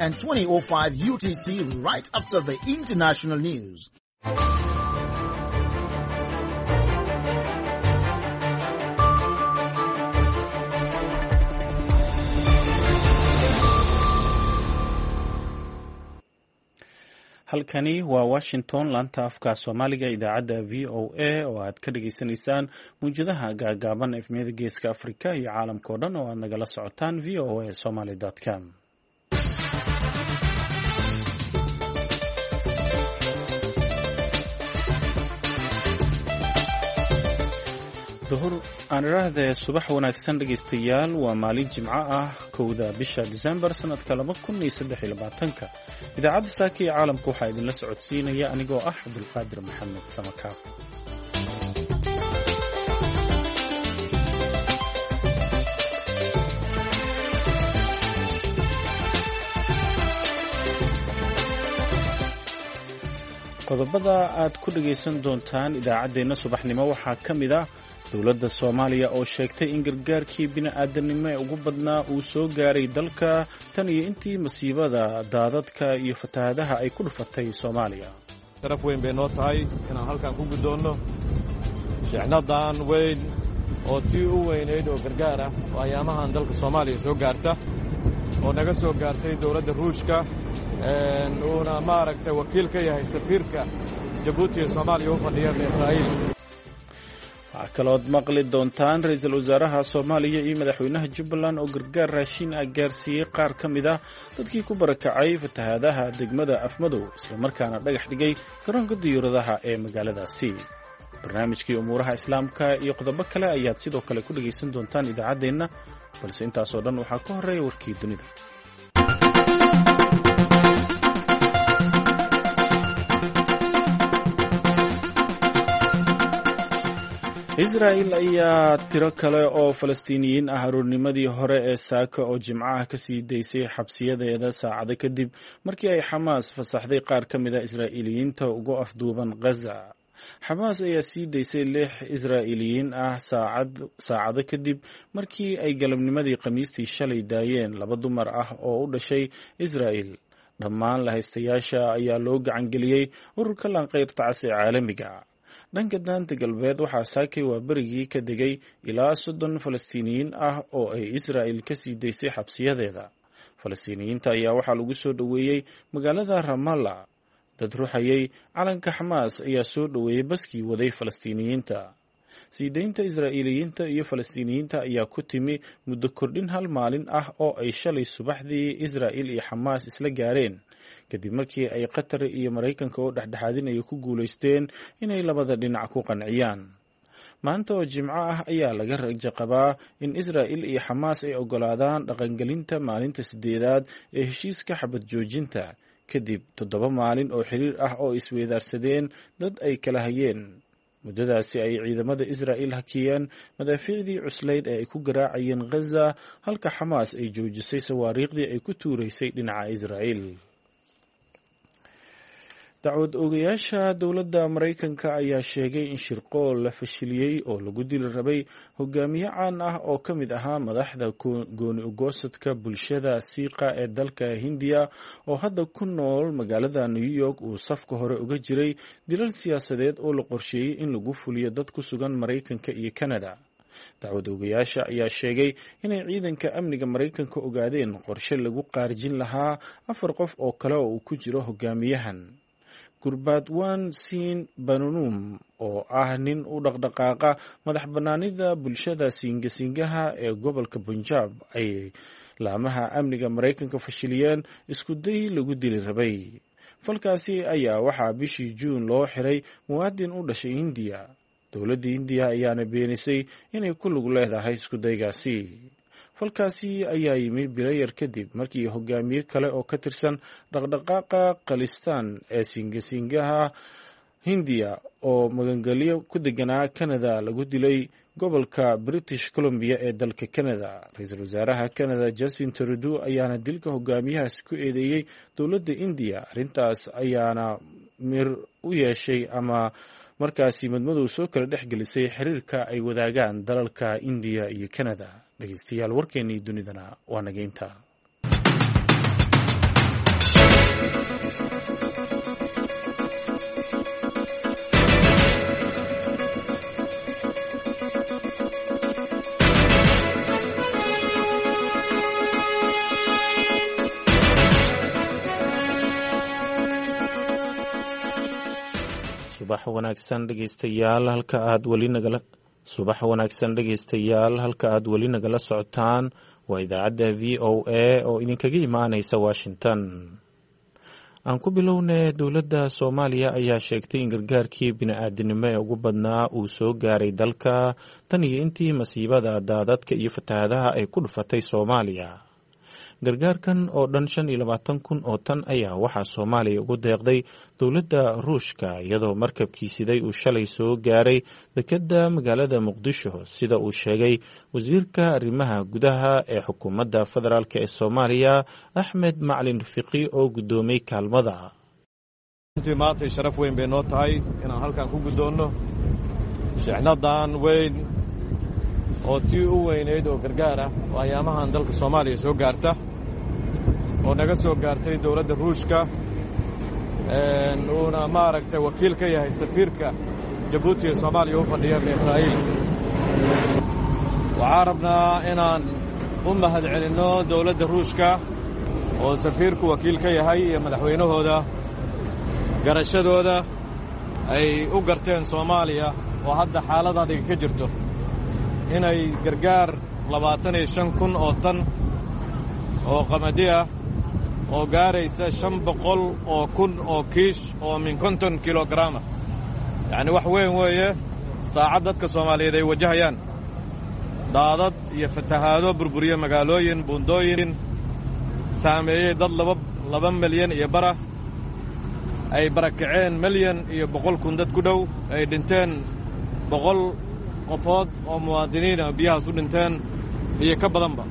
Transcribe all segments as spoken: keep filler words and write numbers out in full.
And twenty oh five U T C right after the international news. Halkani waa Washington, laanta afka Soomaaliga, idaacadda V O A oo aad ka dhageysaneysaan muwjadaha gaagaaban, efmiyada Geeska Afrika iyo caalamka oo dhan oo aad nagala socotaan V O A somaly com. Duhur aan idhaahdee, subax wanaagsan dhegaystayaal. Waa maalin Jimco ah, kowda bisha Disembar sanadka laba kun iyo saddex iyo labaatanka. Idaacadda saaka iyo caalamka waxaa idinla socodsiinaya anigoo ah Cabdulqaadir Maxamed Samakaab. Qodobada aad ku dhagaysan doontaan idaacaddeenna subaxnimo waxaa ka mid ah dowladda Soomaaliya oo sheegtay in gargaarkii bini'aadanimo ee ugu badnaa uu soo gaaray dalka tan iyo intii masiibada daadadka iyo fatahaadaha ay ku dhufatay Soomaaliya. Sharaf weyn bay noo tahay inaan halkan ku guddoonno shixnadan weyn oo tii u weynayd oo gargaar ah oo ayaamahan dalka Soomaaliya soo gaarta, oo naga soo gaartay dowladda Ruushka, uuna maaragtay wakiil ka yahay safiirka Jabuuti ee Soomaaliya u fadhiya Israa'iil. Waxaa kalood maqli doontaan ra-iisul wasaaraha Soomaaliya iyo madaxweynaha Jubbaland oo gargaar raashin ah gaarsiiyey qaar ka mid ah dadkii ku barakacay fatahaadaha degmada Afmadow, islamarkaana dhagax dhigay garoonka diyuuradaha ee magaaladaasi. Barnaamijkii umuuraha Islaamka iyo qodobo kale ayaad sidoo kale ku dhagaysan doontaan idaacaddeenna, balse intaasoo dhan waxaa ka horreeya warkii dunida. Israa'il ayaa tiro kale oo Falastiiniyiin ah aroornimadii hore ee saaka oo Jimcaha ka sii daysay xabsiyadeeda, saacado kadib markii ay Xamaas fasaxday qaar ka mid a Israa'iiliyiinta ugu afduuban Ghaza. Xamaas ayaa sii daysay lix Israa'iiliyiin ah saacado kadib markii ay galabnimadii Khamiistii shalay daayeen laba dumar ah oo u dhashay Israa'il. Dhammaan lahaystayaasha ayaa loo gacangeliyey ururka Laanqeyrta Cas ee caalamiga. Dhanka Daanta Galbeed, waxaa saakay waa berigii ka degay ilaa soddon Falastiiniyiin ah oo ay Israa'il ka sii daysay xabsiyadeeda. Falastiiniyiinta ayaa waxaa lagu soo dhoweeyey magaalada Ramalla. Dad ruxayay calanka Xamaas ayaa soo dhoweeyey baskii waday Falastiiniyiinta. Sii daynta Israa'iiliyiinta iyo Falastiiniyiinta ayaa ku timi muddo kordhin hal maalin ah oo ay shalay subaxdii Israa'il iyo Xamaas isla gaareen, kadib markii ay Qatar iyo Maraykanka oo dhexdhexaadinaya ku guulaysteen inay labada dhinac ku qanciyaan. Maanta oo Jimco ah ayaa laga rajo qabaa in Israa'il iyo Xamaas ay oggolaadaan dhaqangelinta maalinta sideedaad ee heshiiska xabad joojinta, kadib toddoba maalin oo xiriir ah oo isweydaarsadeen dad ay kala hayeen. Muddadaasi ay ciidamada Israa'il hakiyeen madaafiicdii cuslayd ee ay ku garaacayeen Ghaza, halka Xamaas ay joojisay sawaariikhdii ay ku tuuraysay dhinaca Israa'il. Dacwad oogayaasha dowladda Maraykanka ayaa sheegay in shirqool la fashiliyey oo lagu dili rabay hogaamiye caan ah oo ka mid ahaa madaxda gooni ugoosadka bulshada Siiqa ee dalka Hindiya oo hadda ku nool magaalada New York uu safka hore uga jiray dilal siyaasadeed oo la qorsheeyey in lagu fuliyo dad ku sugan Maraykanka iyo Kanada. Dacwad oogayaasha ayaa sheegay inay ciidanka amniga Maraykanka ogaadeen qorshe lagu qaarijin lahaa afar qof oo kale oo uu ku jiro hogaamiyahan. Gurbaadwan Siin Banunum, oo ah nin u dhaqdhaqaaqa madax bannaanida bulshada Siingasingaha ee gobolka Punjab, ay laamaha amniga Maraykanka fashiliyeen isku day lagu dili rabay. Falkaasi ayaa waxaa bishii Juun loo xiray muwaadin u dhashay Hindiya. Dowladda Hindiya ayaana beenisay inay ku lug leedahay iskudaygaasi. Falkaasi ayaa yimi bilo yar kadib markii hogaamiye kale oo ka tirsan dhaqdhaqaaqa Khalistan ee Siingasingaha Hindiya oo magangelyo ku deganaa Canada lagu dilay gobolka British Columbia ee dalka Canada. Ra-iisul wasaaraha Canada Justin Trudeau ayaana dilka hogaamiyahaasi ku eedeeyey dowladda Indiya. Arrintaas ayaana mir u yeeshay ama markaasi madmadow soo kala dhex gelisay xiriirka ay wadaagaan dalalka Indiya iyo Canada. Dhegeystayaal, warkeennii dunidana waa nageynta. Subax wanaagsan dhegeystayaal, halka aad weli nagala subax wanaagsan dhegeystayaal, halka aad weli nagala socotaan waa idaacadda V O A oo idinkaga imaaneysa Washington. Aan ku bilownay, dowladda Soomaaliya ayaa sheegtay in gargaarkii bini-aadinimo ee ugu badnaa uu soo gaaray dalka tan iyo intii masiibada daadadka iyo fatahaadaha ay ku dhufatay Soomaaliya. Gargaarkan oo dhan shan iyo labaatan kun oo tan ayaa waxaa Soomaaliya ugu deeqday dowladda Ruushka, iyadoo markabkii siday uu shalay soo gaaray dekedda magaalada Muqdisho, sida uu sheegay wasiirka arrimaha gudaha ee xukuumadda federaalk ee Soomaaliya Axmed Macalin Fiqi oo guddoomay kaalmada. Runtii maantay sharaf weyn bay noo tahay inaan halkan ku guddoonno shixnadan weyn oo tii u weynayd oo gargaar ah oo ayaamahan dalka Soomaaliya soo gaarta, oo naga soo gaartay dowladda Ruushka, uuna maaragtay wakiil ka yahay safiirka Jabuuti ee Soomaaliya u fadhiya Mikhail. Waxaan rabnaa inaan u mahad celinno dowladda Ruushka oo safiirku wakiil ka yahay iyo madaxweynahooda garashadooda ay u garteen Soomaaliya oo hadda xaalad adiga ka jirto inay gargaar labaatan iyo shan kun oo tan oo qamadi ah oo gaaraysa shan boqol oo kun oo kiish oo min konton kilogaraama, yacni wax weyn weeye. Saacad dadka Soomaaliyeed ay wajahayaan daadad iyo fatahaado burburiya magaalooyin, buundooyin, saameeyey dad laba laba milyan iyo bara, ay barakaceen milyan iyo boqol kun dad ku dhow, ay dhinteen boqol qofood oo muwaadiniina biyahaas u dhinteen iyo ka badanba.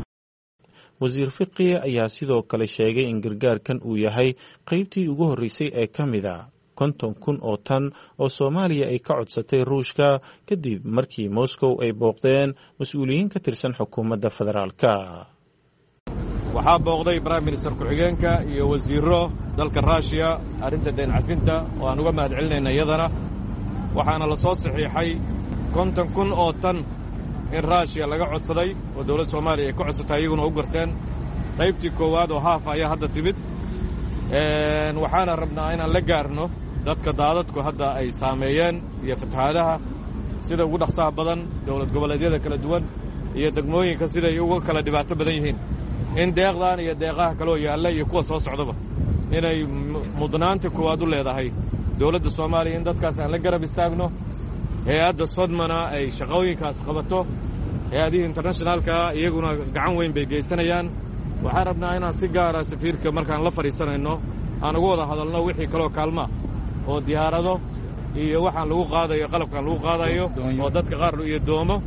Wasiir Fiqi ayaa sidoo kale sheegay in gargaarkan uu yahay qaybtii ugu horreysay ee ka mid a konton kun oo tan oo Soomaaliya ay ka codsatay Ruushka kadib markii Moscow ay booqdeen mas-uuliyiin ka tirsan xukuumadda federaalka. Waxaa booqday prime minister ku-xigeenka iyo wasiirro dalka Ruushiya arrinta dayn cafinta oo aan uga mahad celinayna iyadana. Waxaana la soo saxiixay konton kun oo tan in Ruushiya laga codsaday oo dowladda Soomaaliya ay ka codsatay, iyaguna u garteen. Qaybtii koowaad oo haafa ayaa hadda timid. Waxaana rabnaa inaan la gaarno dadka daadadku hadda ay saameeyeen iyo fatahaadaha sida ugu dhaqsaha badan, dowlad goboleedyada kala duwan iyo degmooyinka siday uga kala dhibaato badan yihiin, in deeqdan iyo deeqaha kaloo yaalla iyo kuwa soo socdaba inay mudnaanta koowaad u leedahay dowladda Soomaaliya in dadkaas aan la garab istaagno, hay-adda Sodmana ay shaqooyinkaas qabato, hay-adihii internationaalka iyaguna gacan weyn bay geysanayaan. Waxaan rabnaa inaan si gaara safiirka markaan la fadhiisanayno aan uga wada hadalno wixii kaloo kaalmaa oo diyaarado iyo waxaan lagu qaadayo, qalabkaan lagu qaadayo oo dadka qaar iyo doomo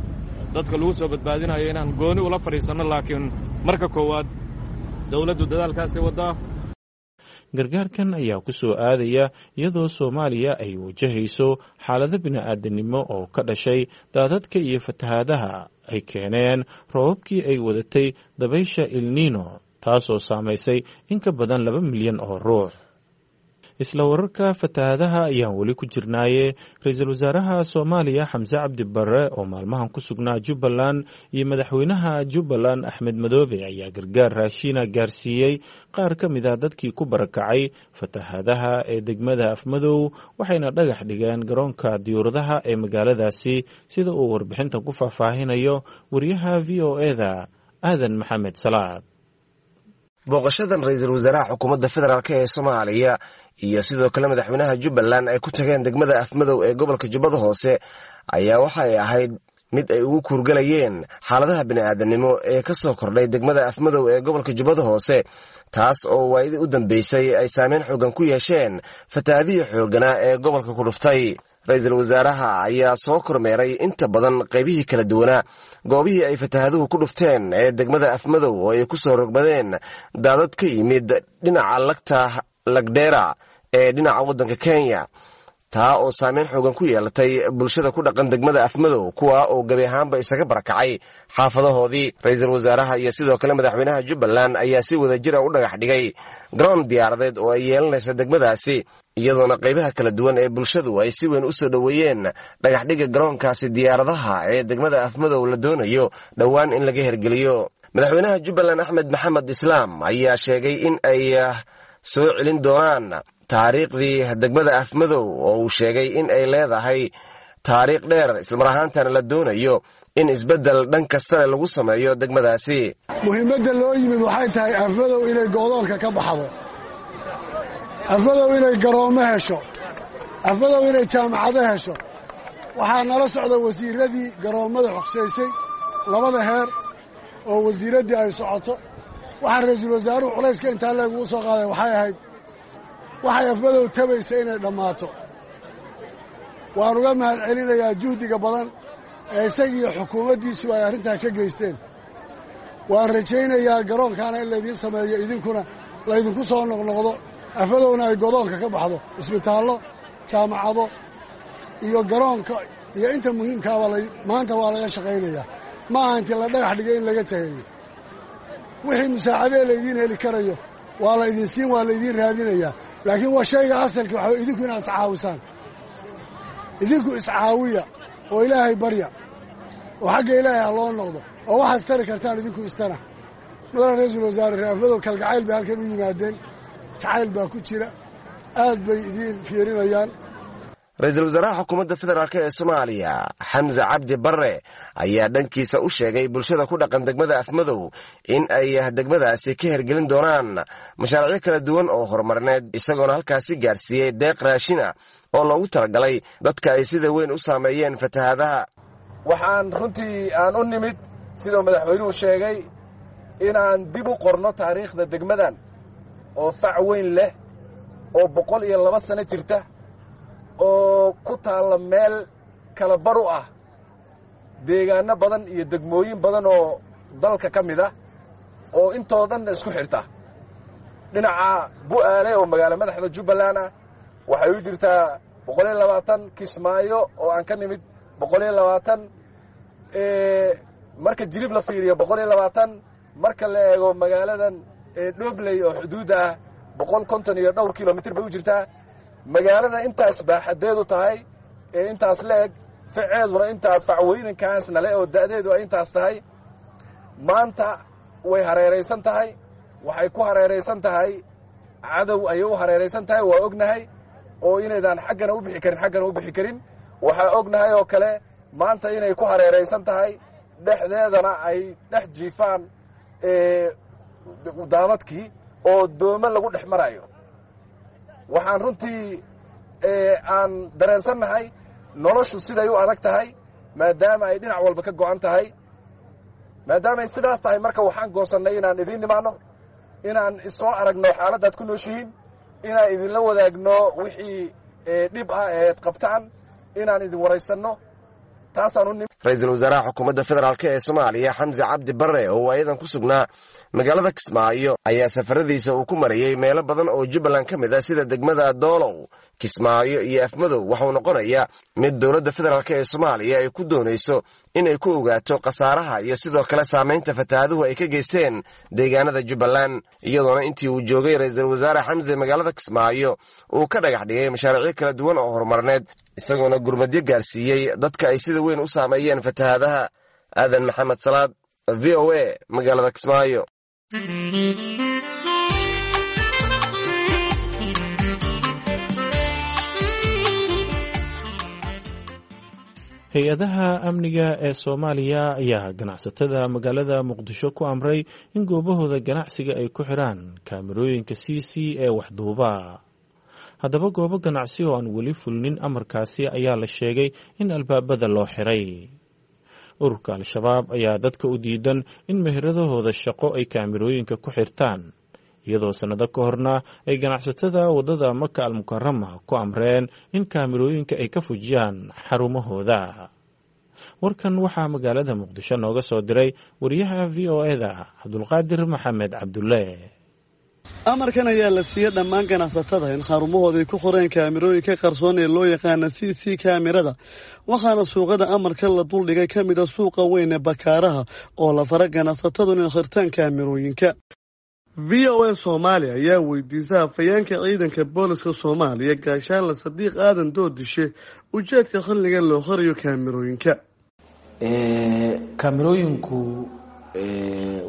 dadka lagu soo badbaadinayo inaan gooni ula fadhiisanno, laakiin marka koowaad dowladdu dadaalkaasay waddaa. Gargaarkan ayaa ku soo aadaya iyadoo Soomaaliya ay wajahayso xaalado bini-aadanimo oo ka dhashay daadadka iyo fatahaadaha ay keeneen roobabkii ay wadatay dabaysha El Niño, taasoo saamaysay in ka badan laba milyan oo ruux. Isla wararka fatahaadaha ayaan weli ku jirnaaye, ra-iisul wasaaraha Soomaaliya Xamse Cabdi Barre oo maalmahan ku sugnaa Jubbaland iyo madaxweynaha Jubbaland Axmed Madoobe ayaa gargaar raashiina gaarsiiyey qaar ka mid ah dadkii ku barakacay fatahaadaha ee degmada Afmadow, waxayna dhagax dhigeen garoonka diyuuradaha ee magaaladaasi, sida uu warbixintan ku faahfaahinayo wariyaha V O E-da Aadan Maxamed Salaad. Booqashadan ra-iisul wasaaraha xukuumadda federaalk ee Soomaaliya iyo sidoo kale madaxweynaha Jubbaland ay ku tageen degmada Afmadow ee gobolka Jubbada Hoose ayaa waxay ahayd mid ay ugu kuurgalayeen xaaladaha bini'aadanimo ee ka soo kordhay degmada Afmadow ee gobolka Jubbada Hoose, taas oo waayadii u dambeysay ay saameyn xooggan ku yeesheen fatahaadihii xoogganaa ee gobolka ku dhuftay. Ra-iisul wasaaraha ayaa soo kormeeray inta badan qaybihii kala duwanaa goobihii ay fatahaaduhu ku dhufteen ee degmada Afmadow oo ay ku soo rogmadeen daadad ka yimid dhinaca lagta Lagdheera ee dhinaca waddanka Kenya, taa oo saameyn xoogan ku yeelatay bulshada ku dhaqan degmada Afmadow, kuwa oo gebi ahaanba isaga barakacay xaafadahoodii. Ra-iisul wasaaraha iyo sidoo kale madaxweynaha Jubbaland ayaa si wadajira u dhagax dhigay garoon diyaaradeed oo ay yeelanaysa degmadaasi, iyadoona qaybaha kala duwan ee bulshadu ay si weyn u soo dhoweeyeen dhagaxdhigga garoonkaasi diyaaradaha ee degmada Afmadow la doonayo dhowaan in laga hergeliyo. Madaxweynaha Jubbaland Axmed Maxamed Islaam ayaa sheegay in ay soo celin doonaan taariikhdii degmada Afmadow oo uu sheegay in ay leedahay taariikh dheer, islamar ahaantana la doonayo in isbeddel dhan kastale lagu sameeyo degmadaasi. Muhiimadda loo yimid waxay tahay Afmadow inay go'doonka ka baxdo, Afmadow inay garoommo hesho, Afmadow inay jaamacado hesho. Waxaa nala socda wasiirradii garoommada xogsaysay labada heer oo wasiiraddii ay socoto. Waxaa ra'iisul wasaaruhu culayska intaa leegugu soo qaaday waxay ahayd waxay Afmadow tabaysa inay dhammaato. Waan uga mahad celinayaa juhdiga badan ee isagiiyo xukuumaddiisu ay arrintaa ka geysteen. Waan rajaynayaa garoonkaana in laydiin sameeyo, idinkuna laydinku soo noqnoqdo, Afmadowna ay godoonka ka baxdo, isbitaallo, jaamacado iyo garoonka iyo inta muhiimkaaba maanta waa laga shaqaynayaa. Ma aha intii la dhagax dhigay in laga tegayo. Wixii musaacadee laydiin heli karayo waa la idin siin, waa laydiin raadinayaa, laakiin waa shayga asalkii waxaa idinku inaad iscaawisaan. Idinku iscaawiya oo Ilaahay barya oo xagga Ilaahay ha loo noqdo oo waxaad istari kartaan idinku istana. Madaxa ra'iisul wasaare, reer Afmadow kalgacayl bay halkan u yimaadeen, jacayl baa ku jira, aad bay idiin fiirinayaan. Ra-iisul wasaaraha xukuumadda federaalk ee Soomaaliya Xamse Cabdi Barre ayaa dhankiisa u sheegay bulshada ku dhaqan degmada Afmadow in ay degmadaasi ka hergelin doonaan mashaariicyo kala duwan oo horumarineed, isagoona halkaasi gaarsiiyey deeq raashin ah oo loogu talagalay dadka ay sida weyn u saameeyeen fatahaadaha. Waxaan runtii aan u nimid, siduu madaxweynuhu sheegay, inaan dib u qorno taariikhda degmadan oo fac weyn leh oo boqol iyo laba sano jirta oo ku taalla meel kala bar u ah deegaanno badan iyo degmooyin badan oo dalka ka mid ah oo intoo dhanna isku xidhta. Dhinaca Bu'aale oo magaalo madaxda Jubbaland ah waxay u jirtaa boqol iyo labaatan, Kismaayo oo aan ka nimid boqol iyo labaatan, marka Jilib la fiiriyo boqol iyo labaatan, marka la eego magaaladan Dhobley oo xuduudda ah boqol konton iyo dhowr kilomitir bay u jirtaa. Magaalada intaas baaxadeedu tahay ee intaas la eg, faceeduna intaa facweynankaasna le oo da'deedu ay intaas tahay, maanta way hareeraysan tahay. Waxay ku hareeraysan tahay cadow ayay u hareeraysan tahay, waa ognahay oo inaydaan xaggana u bixi karin xaggana u bixi karin. Waxaa ognahay oo kale maanta inay ku hareeraysan tahay, dhexdeedana ay dhex jiifaan daadadkii oo doomo lagu dhex marayo. Waxaan runtii aan dareensannahay noloshu siday u adag tahay, maadaama ay dhinac walba ka go'an tahay. Maadaamaay sidaas tahay, marka waxaan goosannay inaan idiin nimaanno, inaan isoo aragno xaaladdaad ku nooshihiin, inaan idinla wadaagno wixii dhib ah eed qabtaan, inaan idin waraysanno. Ra-iisul wasaaraha xukuumadda federaalk ee Soomaaliya Xamse Cabdi Barre oo waayadan ku sugnaa magaalada Kismaayo ayaa safaradiisa uu ku marayey meelo badan oo Jubbaland ka mid ah sida degmada Doolow, Kismaayo iyo Afmadow. Waxauu noqonayaa mid dowladda federaalk ee Soomaaliya ay ku doonayso inay ku ogaato khasaaraha iyo sidoo kale saamaynta fatahaaduhu ay ka geysteen deegaanada Jubbaland, iyadoona intii uu joogay ra-iisul wasaare Xamse magaalada Kismaayo uu ka dhagax dhigay mashaariicyo kala duwan oo horumarneed, isagoona gurmadyo gaarsiiyey dadka ay sida weyn u saameeyeen fatahaadaha. Aadan Maxamed Salaad, V O A, magaalada Kismaayo. Hay-adaha amniga ee Soomaaliya ayaa ganacsatada magaalada Muqdisho ku amray in goobahooda ganacsiga ay ku xiraan kaamirooyinka C C ee waxduuba. Haddaba goobo ganacsi oo aan weli fulinin amarkaasi ayaa la sheegay in albaabada loo xiray. Ururka Al-Shabaab ayaa dadka u diidan in meheradahooda shaqo ay kaamirooyinka ku xirtaan, iyadoo sannado ka horna ay ganacsatada waddada Maka Almukarama ku amreen in kaamirooyinka ay ka fujiyaan xarumahooda. Warkan waxaa magaalada Muqdisho nooga soo diray wariyaha V O E-da Cabdulqaadir Maxamed Cabdulle. Amarkan ayaa la siiyey dhammaan ganacsatada in xarumahooda ay ku qoreen kaamirooyinka qarsoon ee loo yaqaana C C kaamirada, waxaana suuqada amarka la duldhigay ka mid a suuqa weyn ee Bakaaraha oo la fara ganacsatadu inay xirtaan kaamirooyinka. V O A Soomaaliya ayaa weydiisay hafayeenka ciidanka booliska Soomaaliya Gaashaanle Sadiiq Aadan Doodishe ujeedka xilligan loo xirayo kaamirooyinka. Kaamirooyinku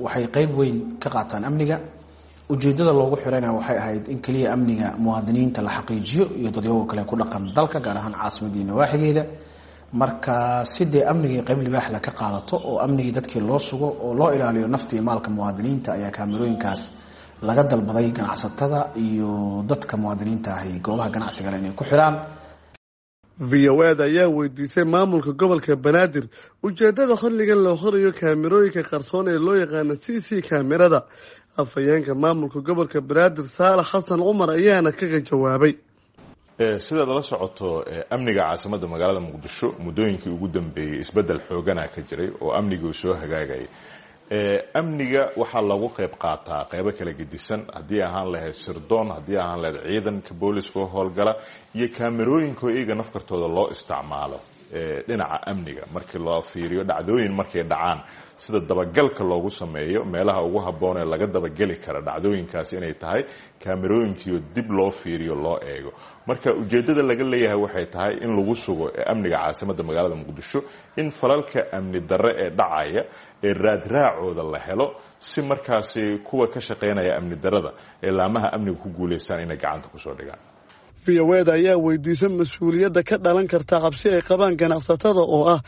waxay qeyb weyn ka qaataan amniga. Ujeedada loogu xirayna waxay ahayd in keliya amniga muwaadiniinta la xaqiijiyo iyo dadyago kale ku dhaqan dalka, gaar ahaan caasimadii nawaaxigeeda. Marka si dee amnigii qayb libaaxla ka qaadato oo amnigii dadkii loo sugo oo loo ilaaliyo nafta iyo maalka muwaadiniinta, ayaa kaamirooyinkaas laga dalbaday ganacsatada iyo dadka muwaadiniinta ahi goobaha ganacsigale inay ku xiraan. V O A da ayaa weydiisay maamulka gobolka Banaadir ujeedada xilligan loo xirayo kaamirooyinka qarsoon ee loo yaqaano C C kaamirada. Afhayeenka maamulka gobolka Banaadir Saalax Xasan Cumar ayaana kaga jawaabay. Sidaad la socoto, amniga caasimadda magaalada Muqdisho muddooyinkii ugu dambeeyey isbeddel xoogana ka jiray oo amnigii uu soo hagaagayay. Amniga waxaa lagu qayb qaataa qaybo kala gedisan, haddii ahaan lahayd sirdoon, haddii ahaan lahayd ciidanka booliska oo howlgala iyo kaamerooyinka iyaga nafkartooda loo isticmaalo dhinaca amniga. Markii loo fiiriyo dhacdooyin markay dhacaan, sida dabagalka loogu sameeyo meelaha ugu habboon ee laga dabageli kara dhacdooyinkaas inay tahay kaamerooyinkiio dib loo fiiriyo loo eego. Marka ujeeddada laga leeyahay waxay tahay in lagu sugo amniga caasimadda magaalada Muqdisho, in falalka amni darre ee dhacaya ee raadraacooda la helo, si markaasi kuwa ka shaqaynaya amni darrada ee laamaha amniga ku guulaystaan inay gacanta kusoo dhigaan. V O A da ayaa weydiisay mas-uuliyadda ka dhalan karta cabsi ay qabaan ganacsatada oo ah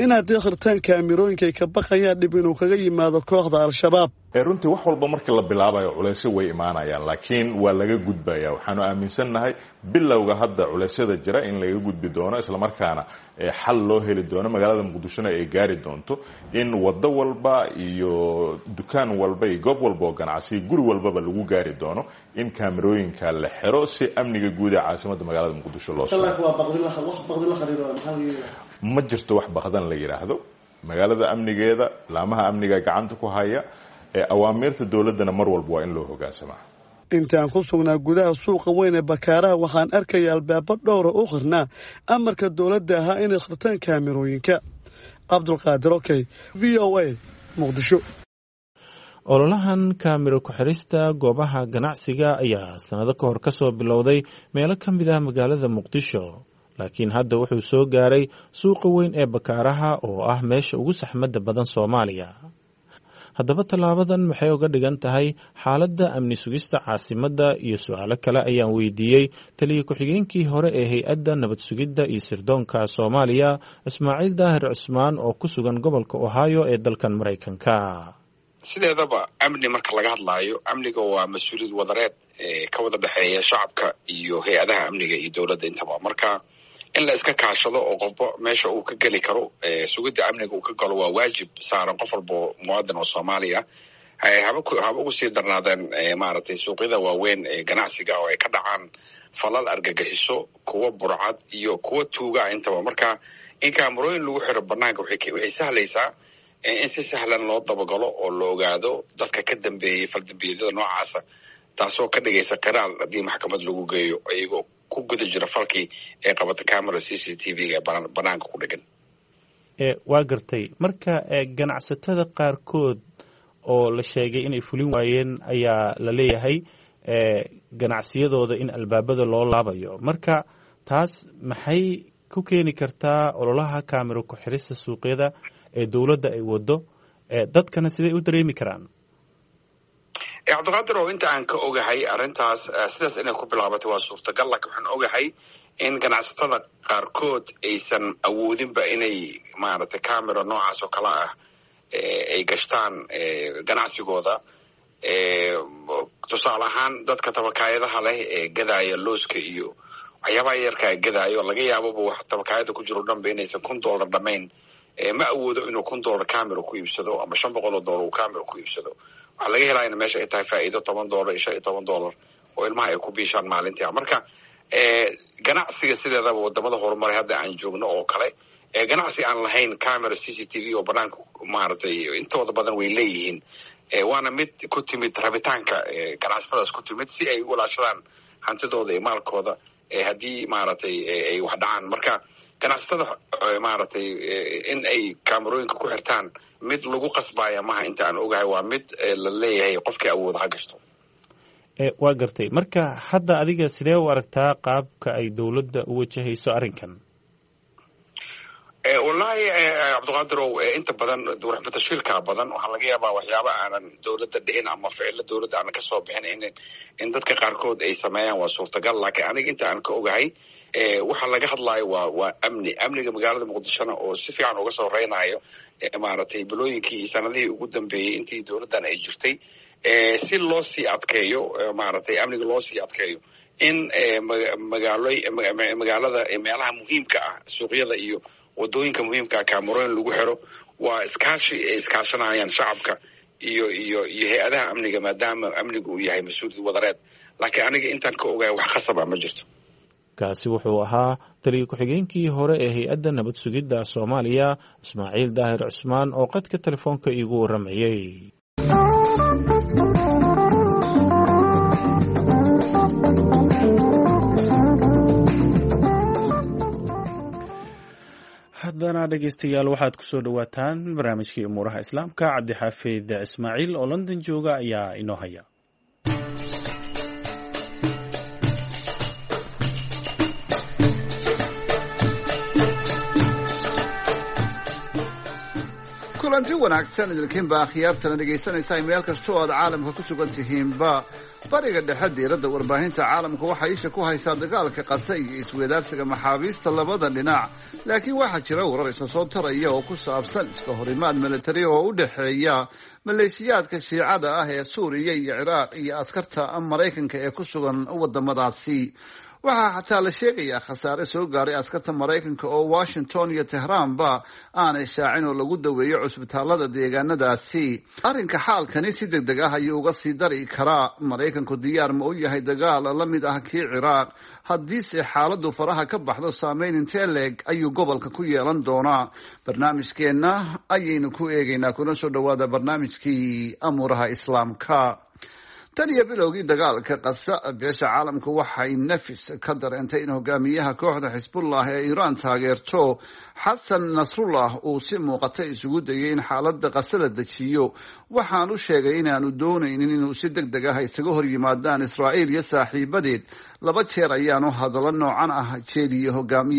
in haddii xirtaan kaamirooyinka ay ka baqayaan dhib inuu kaga yimaado kooxda Al-Shabaab. Runtii wax walba markii la bilaabayo culeysyo way imaanayaan, laakiin waa laga gudbaya. Waxaanu aaminsannahay bilowga hadda culeysyada jira in laga gudbi doono, islamarkaana xal loo heli doono, magaalada Muqdishona ay gaari doonto in wado walba iyo dukaan walba iyo goob walba oo ganacsi, guri walbaba lagu gaari doono in kaamerooyinka la xiro si amniga guud ee caasimadda magaalada Muqdisho loo sugo. Ma jirto wax baqdan la yidhaahdo. Magaalada amnigeeda laamaha amniga gacanta ku haya, awaamiirta dowladdana mar walba waa in loo hogaansamaa. Intaan ku sugnaa gudaha suuqa weyn ee Bakaaraha, waxaan arkaya albaabo dhowra u xirnaa amarka dowladda ahaa inay xirtaan kaamirooyinka. Cabdulqaadir Okey, V O A, Muqdisho. Ololahan kaamiro ku-xirista goobaha ganacsiga ayaa sanado ka hor kasoo bilowday meelo ka mid ah magaalada Muqdisho, laakiin hadda wuxuu soo gaaray suuqa weyn ee Bakaaraha oo ah meesha ugu saxmadda badan Soomaaliya. Haddaba tallaabadan maxay uga dhigan tahay xaaladda amni sugista caasimadda iyo su-aalo kale ayaan weydiiyey taliya ku-xigeenkii hore ee hay-adda nabad sugidda iyo sirdoonka Soomaaliya, Ismaaciil Daahir Cusmaan, oo ku sugan gobolka Ohio ee dalkan Maraykanka. Sideedaba amni marka laga hadlaayo, amniga waa mas-uuliyad wadareed ka wada dhexeeya shacabka iyo hay-adaha amniga iyo dowladda intaba. Marka in la iska kaashado oo qofba meesha uu ka geli karo sugidda amniga uu ka galo waa waajib saaran qof walbo muwaadin oo Soomaaliya. Haba haba ugu sii darnaadeen maaragtay suuqyada waaweyn ee ganacsiga oo ay ka dhacaan falal argagixiso, kuwa burcad iyo kuwa tuuga intaba. Marka in kaamarooyin lagu xiro banaanka waxay waxay sahlaysaa in si sahlan loo dabagalo oo la ogaado dadka ka dambeeyey faldambiyeedyada noocaasa, taasoo ka dhigaysa qiraal haddii maxkamad lagu geeyo iyagoo ku guda jira falkii ee qabata camera C C T V-ga banaanka ku dhegan. Waa gartay. Marka ganacsatada qaarkood oo la sheegay inay fulin waayeen ayaa la leeyahay ganacsiyadooda in albaabada loo laabayo, marka taas maxay ku keeni kartaa ololaha kaamiro ku-xirista suuqyada ee dowladda ay wado, dadkana siday u dareemi karaan? Cabdiqaadir, oo inta aan ka ogahay arrintaas sidaas inay ku bilaabatay waa suurtagal, laakiin waxaan ogahay in ganacsatada qaarkood aysan awoodinba inay maaragtay camera noocaas oo kale ah ay gashtaan ganacsigooda. Tusaale ahaan dadka tabakaayadaha leh ee gadaaya looska iyo waxyaabaha yarkaa gadaayo, laga yaababa wax tabakaayada ku jiro dhanba inaysan kun dollar dhamayn, ma awoodo inuu kun dollar camera ku iibsado ama shan boqol oo dollar uu camera ku iibsado. Waxaa laga helaa in meesha ay tahay faa'iido toban dollar iyo shan iyo toban dollar oo ilmaha ay ku biishaan maalintii. Marka ganacsiga sideedaba wadamada horumaray hadda aan joogno oo kale, ganacsi aan lahayn camera C C T V oo banaanka maaragtay intooda badan way leeyihiin, waana mid ku timid rabitaanka ganacsatadaas ku timid si ay u walaashadaan hantidooda iyo maalkooda haddii maaragtay ay wax dhacaan. Marka ganacsatada maaragtay in ay kaamarooyinka ku xirtaan mid lagu qasbaya maha, inta aan ogahay waa mid la leeyahay qofkii awooda ha gashto. Waa gartay. Marka hadda adiga sidee u aragtaa qaabka ay dowladda u wajahayso arrinkan? Wallaahi Cabdiqaadirow, inta badan warxmatashiilkaa badan. Waxaa laga yaabaa waxyaaba aanan dowladda dhicin ama ficilo dowladda aanan kasoo bixin in in dadka qaarkood ay sameeyaan, waa suurtagal. Laakiin aniga inta aan ka ogahay, waxa laga hadlaayo waa waa amni, amniga magaalada Muqdishona oo si fiican uga soo reynayo maaragtay bilooyinkii iyo sanadihii ugu dambeeyey intii dowladdan ay jirtay, si loo sii adkeeyo maaragtay amniga loo sii adkeeyo, in magaalo magaalada meelaha muhiimka ah, suuqyada iyo wadooyinka muhiimka ah, kaamarooyin lagu xiro. Waa iskaashi ay iskaashanayaan shacabka iyo iyo iyo hay-adaha amniga, maadaama amnigu uu yahay mas-uuliyad wadareed. Laakiin aniga intaan ka ogahay, wax khasab ah ma jirto. Kaasi wuxuu ahaa taliya ku-xigeenkii hore ee hay-adda nabad sugidda Soomaaliya, Ismaaciil Daahir Cusmaan, oo qadka telefoonka iigu warramayey. Haddana dhegeystayaal, waxaad kusoo dhowaataan barnaamijkii umuuraha Islaamka. Cabdixaafid Ismaaciil oo London jooga ayaa inoo haya. Kulanti wanaagsan idilkiinba akhyaartana dhegaysanaysaa meel kasta oo aad caalamka ku sugan tihiinba. Bariga Dhexe, diiradda warbaahinta caalamka waxaa isha ku haysaa dagaalka Qasa iyo isweydaarsiga maxaabiista labada dhinac, laakiin waxaa jira warar isa soo taraya oo ku saabsan iska horimaad militari oo u dhexeeya maleeshiyaadka Shiicada ah ee Suuriya iyo Ciraaq iyo askarta Maraykanka ee ku sugan wadamadaasi. Waxaa xataa la sheegayaa khasaare soo gaaray askarta Maraykanka oo Washington iyo Tehraanba aanay shaacin, oo lagu daweeyo cusbitaalada deegaanadaasi. Arrinka xaalkani si deg deg ah ayuu uga sii dari karaa. Maraykanku diyaar ma u yahay dagaal la mid ah kii Ciraaq? Haddiise xaaladdu faraha ka baxdo, saameyn intee leeg ayuu gobolka ku yeelan doonaa? Barnaamijkeenna ayaynu ku eegaynaa. Kuna soo dhawaada barnaamijkii amuuraha Islaamka. Tan iyo bilowgii dagaalka Qasa, beesha caalamku waxay nafis ka dareentay in hogaamiyaha kooxda Xisbullah ee Iiraan taageerto, Xasan Nasrullah, uu si muuqata isugu dayay in xaaladda Qasa la dejiyo. Waxaanu sheegay inaanu doonaynin inuu si deg deg ah isaga hor yimaadaan Israa'iil iyo saaxiibadeed. Laba jeer ayaanu hadallo noocan ah jeediyey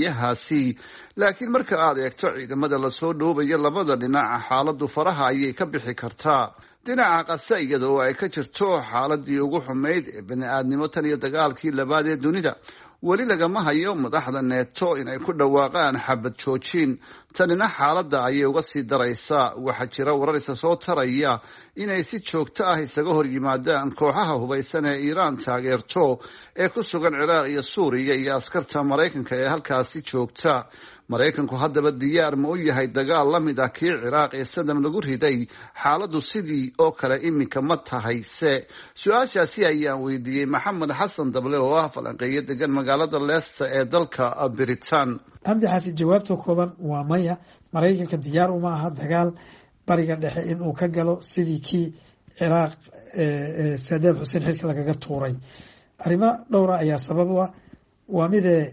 hogaamiyahaasi, laakiin marka aad eegto ciidamada lasoo dhoobayo labada dhinac, xaaladdu faraha ayay ka bixi kartaa. Dhinaca Qasa, iyada oo ay ka jirto xaaladii ugu xumayd ee bani-aadnimo tan iyo dagaalkii labaad ee dunida, weli lagama hayo madaxda Neeto inay ku dhawaaqaan xabad joojin. Tanina xaaladda ayay uga sii daraysaa. Waxaa jira warar isa soo taraya inay si joogto ah isaga hor yimaadaan kooxaha hubaysan ee Iiraan taageerto ee ku sugan Ciraaq iyo Suuriya iyo askarta Maraykanka ee halkaasi joogta. Maraykanku haddaba diyaar ma u yahay dagaal la mid ah kii Ciraaq ee Sadam lagu riday? Xaaladdu sidii oo kale iminka ma tahay se? Su-aashaasi ayaan weydiiyey Maxamed Xasan Dable oo ah falanqeeyo degan magaalada Leicester ee dalka Britain. Cabdi Xaafid, jawaabta kooban waa maya. Maraykanka diyaar uma aha dagaal Bariga Dhexe inuu ka galo sidii kii Ciraaq Saadaam Xuseen xilka lagaga tuuray. Arrimo dhowra ayaa sabab u ah. Waa midee,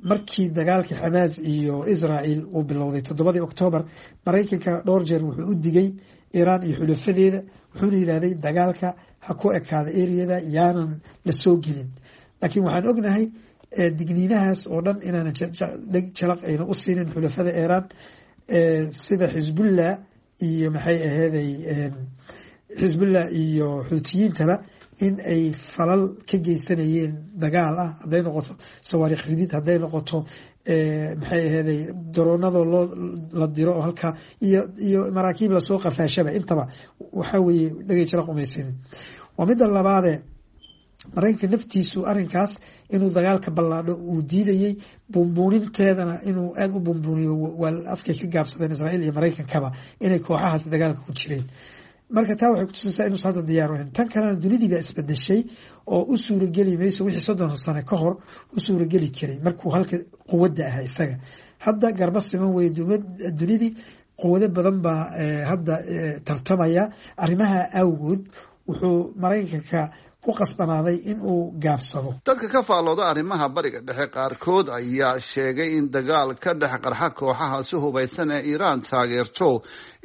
markii dagaalkii Xamaas iyo Israel uu bilowday toddobadii Octoobar, Maraykanka dhowr jeer wuxuu u digay Iiraan iyo xulafadeeda, wuxuuna yidhahday dagaalka ha ku ekaada eriyada, yaanan la soo gelin. Laakiin waxaan ognahay digniinahaas oo dhan inaanan dheg jalaq ayna u siinin xulafada Iiraan, sida Xisbullah iyo maxay aheeday, Xisbullah iyo Xuutiyiintaba, in ay falal ka geysanayeen dagaal ah, hadday noqoto sawaariikh ridid, hadday noqoto maxay aheeday daroonadoo loo la diro oo halkaa iyo iyo maraakiib lasoo qafaashaba. Intaba waxaa weeye dhegay jalaq umaysanin. Waa midda labaade, Maraykanka naftiisu arrinkaas inuu dagaalka ballaadho uu diidayey, buunbuuninteedana inuu aada u buunbuuniyo waa afkay ka gaabsadeen Israa'iil iyo Maraykankaba inay kooxahaas dagaalka ku jireen. Marka taa waxay kutusaysaa inuusan hadda diyaar ahayn. Tan kalena, dunidii baa isbedeshay oo u suurageli mayso wixii soddon sano ka hor u suurageli karay markuu halka quwadda ahaa isaga. Hadda garba siman weye dunidii, quwado badan baa hadda tartamaya. Arrimaha awgood wuxuu Maraykanka ku qasbanaaday in uu gaabsado. Dadka ka faallooda arrimaha Bariga Dhexe qaarkood ayaa sheegay in dagaal ka dhex qarxa kooxaha si hubaysan ee Iiraan taageerto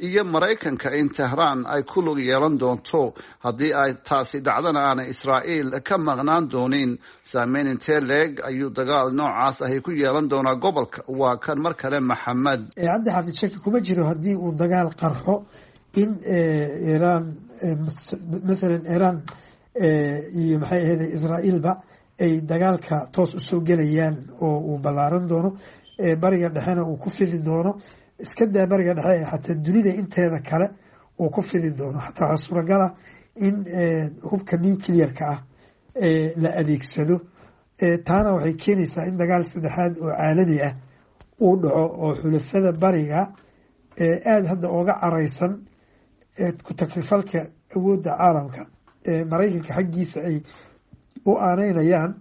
iyo Maraykanka in Tehraan ay ku lug yeelan doonto, haddii ay taasi dhacdana aanay Israa'iil ka maqnaan doonin. Saameyn intee leeg ayuu dagaal noocaas ahi ku yeelan doonaa gobolka? Waa kan mar kale Maxamed. Cabdi Xaafid, shaki kuma jiro haddii uu dagaal qarxo in Iiraan, mathalan Iiraan iyo maxay ahayd Israa'iilba, ay dagaalka toos usoo gelayaan oo uu ballaaran doono, Bariga Dhexena uu ku fidi doono. Iska daa Bariga Dhexe, xataa dunida inteeda kale uu ku fidi doono. Xataa waxaa suuragal ah in hubka nuclear-ka ah la adeegsado. Taana waxay keenaysaa in dagaal saddexaad oo caalami ah uu dhaco, oo xulafada bariga aada hadda ooga careysan ku taklifalka awoodda caalamka Maraykanka xaggiisa ay u aaneynayaan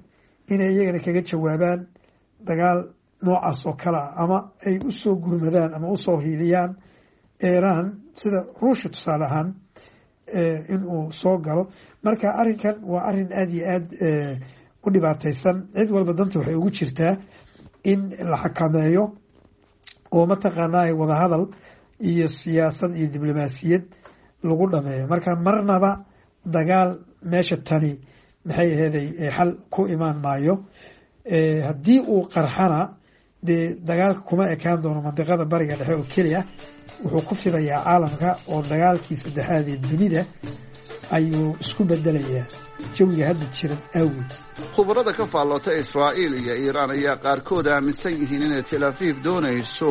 inay iyagana kaga jawaabaan dagaal noocaas oo kale ah, ama ay usoo gurmadaan ama usoo hiiliyaan Iiraan, sida Ruushia tusaale ahaan in uu soo galo. Marka arrinkan waa arrin aada iyo aad u dhibaateysan. Cid walba danta waxay ugu jirtaa in la xakameeyo oo mataqaanaa wadahadal iyo siyaasad iyo diblomaasiyad lagu dhameeyo. Marka marnaba dagaal meesha tani maxay aheeday xal ku imaan maayo. Haddii uu qarxana, dee dagaalka kuma ekaan doono mandiqada Bariga Dhexe oo keliya, wuxuu ku fidayaa caalamka oo dagaalkii saddexaad ee dunida ayuu isku bedelayaa jawiga hadda jiran awgeed. Khubarada ka faalloota Israa'iil iyo Iiraan ayaa qaarkood aaminsan yihiin inay Tel Aviv doonayso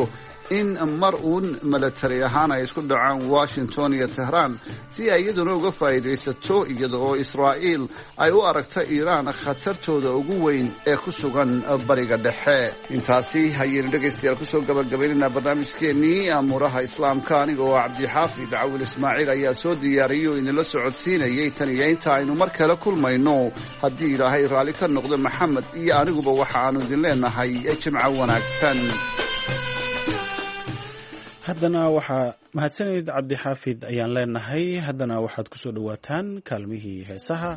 in mar uun milatari ahaan ay isku dhacaan Washington iyo Tehraan, si ay iyaduna uga faa'iidaysato, iyada oo Israa'iil ay u aragta Iiraan khatartooda ugu weyn ee ku sugan Bariga Dhexe. Intaasi ayaynu dhegaystayaal kusoo gabagabaynaynaa barnaamijkeennii Amuuraha Islaamka. Aniga oo Cabdixaafid Cawil Ismaaciil ayaa soo diyaariyey oo idinla socodsiinayay. Tan iyo inta aynu mar kale kulmayno, haddii Ilaahay raalli ka noqdo, Maxamed iyo aniguba waxa aanu idin leenahay jimco wanaagsan. Haddana waxaa mahadsanid Cabdixaafid ayaan leenahay. Haddana waxaad ku soo dhowaataan kaalmihii heesaha.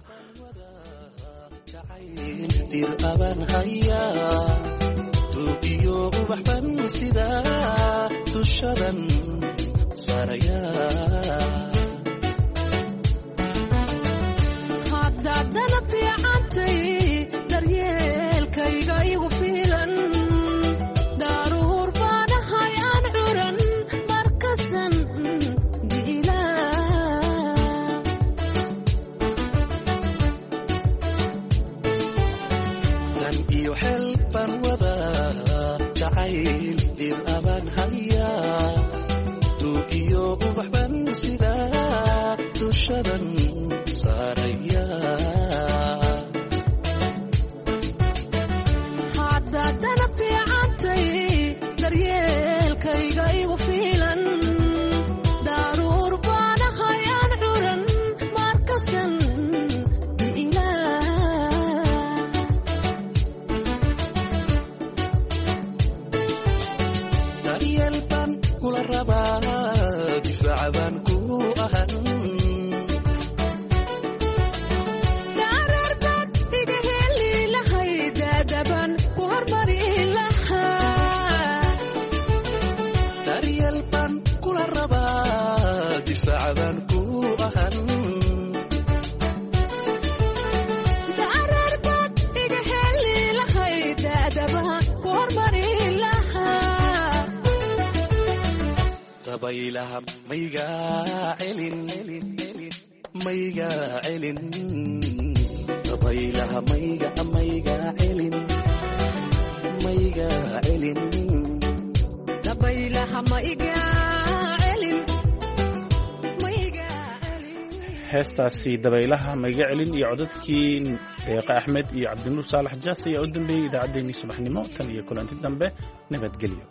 Heestaasi Dabaylaha Maiga Celin iyo codadkii Deeqa Axmed iyo Cabdinuur Saalax Jaas ayaa u dambeeyey idaacaddeenii subaxnimo. Tan iyo kulanti dambe, nabadgelyo.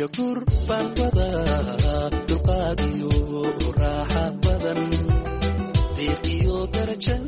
Iyo durbaan wadaa dulqaad iyo raaxa badan, deeq iyo darajan.